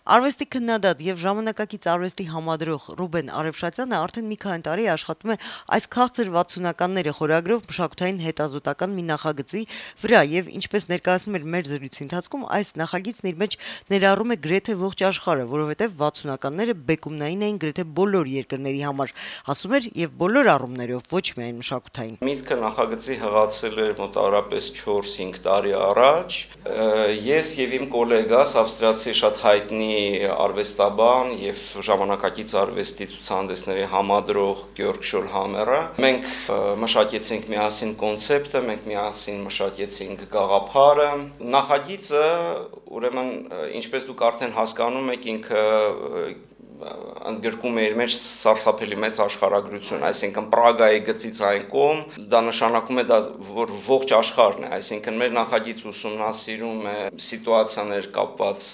Արվեստի քննադատ եւ ժամանակակից արվեստի համադրող Ռուբեն Արևշատյանը արդեն մի քանի տարի աշխատում է այս քաղցր 60-ականները խորագրով մշակութային հետազոտական մի նախագծի վրա եւ ինչպես ներկայացնում էր մեր զրույցի ընթացքում, այս նախագիծն իր մեջ ներառում է գրեթե ողջ աշխարհը, որովհետեւ 60-ականները բեկումնային էին գրեթե բոլոր երկրների համար, ասում էր, եւ բոլոր առումներով, ոչ միայն մշակութային։ Միտքը նախագծի հղացել էր մոտավորապես 4-5 տարի առաջ։ Ես եւ իմ գոլեգաս ավստրիացի շատ հայտնի արվեստաբան եւ ժամանակակից արվեստի ցուցահանդեսների համադրող Գյորգ Շոլհամերը մենք մշակեցինք միասին կոնցեպտը, մենք միասին մշակեցինք գաղափարը։ Նախագիծը, ուրեմն, ինչպես դուք արդեն հասկանում եք, ինքը ընդգրկում է իր մեջ սարսափելի մեծ աշխարհագրություն, այսինքն Պրագայի գծից այն կողմ, դա նշանակում է, որ ողջ աշխարհն է, այսինքն մեր նախագիծ ուսումնասիրում է սիտուացիաներ կապված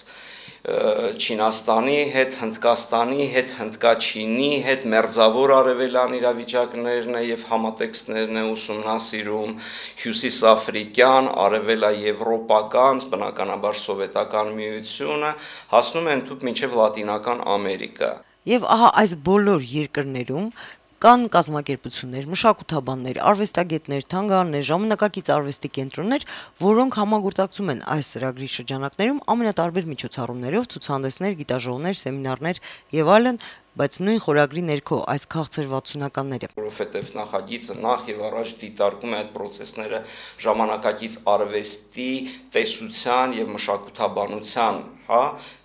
Չինաստանի հետ, Հնդկաստանի հետ, Հնդկաչինի հետ, մերձավոր արևելյան իրավիճակներն է եւ համատեքստներն է ուսումնասիրում, հյուսիսաֆրիկյան, արևելաեվրոպական, բնականաբար սովետական միությունը, հասնում են թուք մինչեւ Լատինական Ամերիկա։ Եվ ահա այս բոլոր երկրներում կան կազմակերպություններ, մշակութաբաններ, արվեստագետներ, թանգարաններ, ժամանակակից արվեստի կենտրոններ, որոնք համագործակցում են այս ծրագրի շրջանակներում ամենատարբեր միջոցառումներով, ցուցահանդեսներ, գիտաժողովներ, սեմինարներ եւ այլն, բայց նույն խորագրի ներքո այս քաղցր 60-ականները, որովհետև նախագիծը նախ եւ առաջ դիտարկում է այդ process-ները ժամանակակից արվեստի, տեսության եւ մշակութաբանության,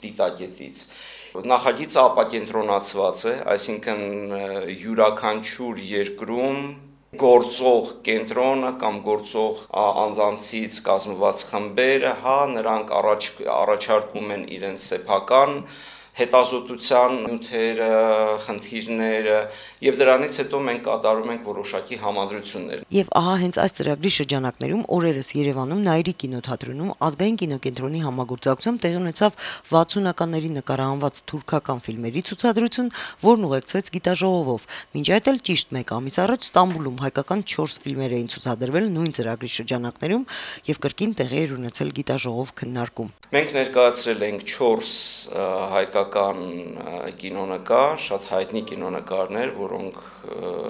դիտակետից։ Նախագիծը ապակենտրոնացված է, այսինքն յուրաքանչյուր երկրում գործող կենտրոնը կամ գործող անձանցից կազմված խմբերը, նրանք առաջարկում են իրենց սեփական հետազոտության նյութերը, խնդիրները եւ դրանից հետո մենք կատարում ենք որոշակի համադրություններ։ Եվ ահա հենց այս ծրագրի շրջանակներում օրերս Երևանում Նաիրի կինոթատրոնում ազգային կինոկենտրոնի համագործակցությամբ տեղի ունեցավ 60-ականների նկարահանված թուրքական ֆիլմերի ցուցադրություն, որն ուղեկցվեց գիտաժողովով։ Մինչ այդ էլ ճիշտ 1 ամիս առաջ Ստամբուլում հայկական 4 ֆիլմեր էին ցուցադրվել նույն ծրագրի շրջանակներում եւ կրկին տեղի էր ունեցել գիտաժողով քննարկում։ Մենք ներկայացրել ենք 4 հայկական կինոնկար, շատ հայտնի կինոնկարներ, որոնք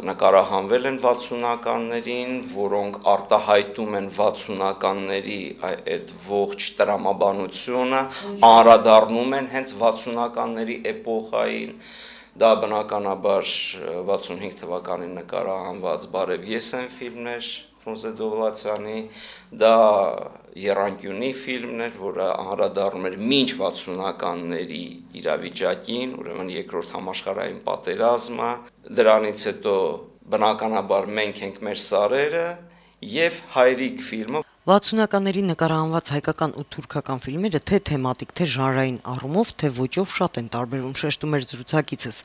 նկարահանվել են 60-ականներին, որոնք արտահայտում են 60-ականների այդ ողջ տրամաբանությունը, անդրադառնում են հենց 60-ականների էպոխային։ Դա բնականաբար 65 թվականին նկարահանված «Բարև ես» են ֆիլմներ Ֆրունզե Դովլաթյանի, դա Եռանկյունի ֆիլմներ, որը անդրադառնում էր մինչ 60-ականների իրավիճակին, ուրեմն երկրորդ համաշխարհային պատերազմը, դրանից հետո բնականաբար մենք ենք մեր սարերը եւ Հայրիկ ֆիլմը։ 60-ականների նկարահանված հայկական ու թուրքական ֆիլմերը թե թեմատիկ, թե ժանրային առումով, թե ոճով շատ են տարբերվում, շեշտում էր զրուցակիցս,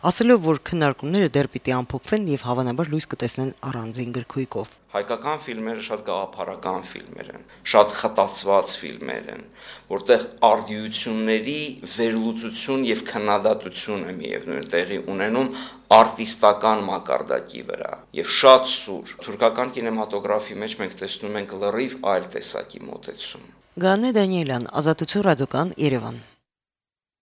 ասելով, որ քննարկումները դեռ պիտի ամփոփվեն եւ հավանաբար լույս կտեսնեն առանձին գրքույկով։ Հայկական ֆիլմերը շատ գաղափարական ֆիլմեր են, շատ խտացված ֆիլմեր են, որտեղ արդիությունների վերլուծություն եւ քննադատություն է միևնույն տեղի ունենում արտիստական մակարդակի վրա եւ շատ սուր։ Թուրքական կինեմատոգրաֆի մեջ մենք տեսնում ենք լրիվ այլ տեսակի մոտեցում։ Գանե Դանիելյան, Ազատություն ռադիոկան, Երևան։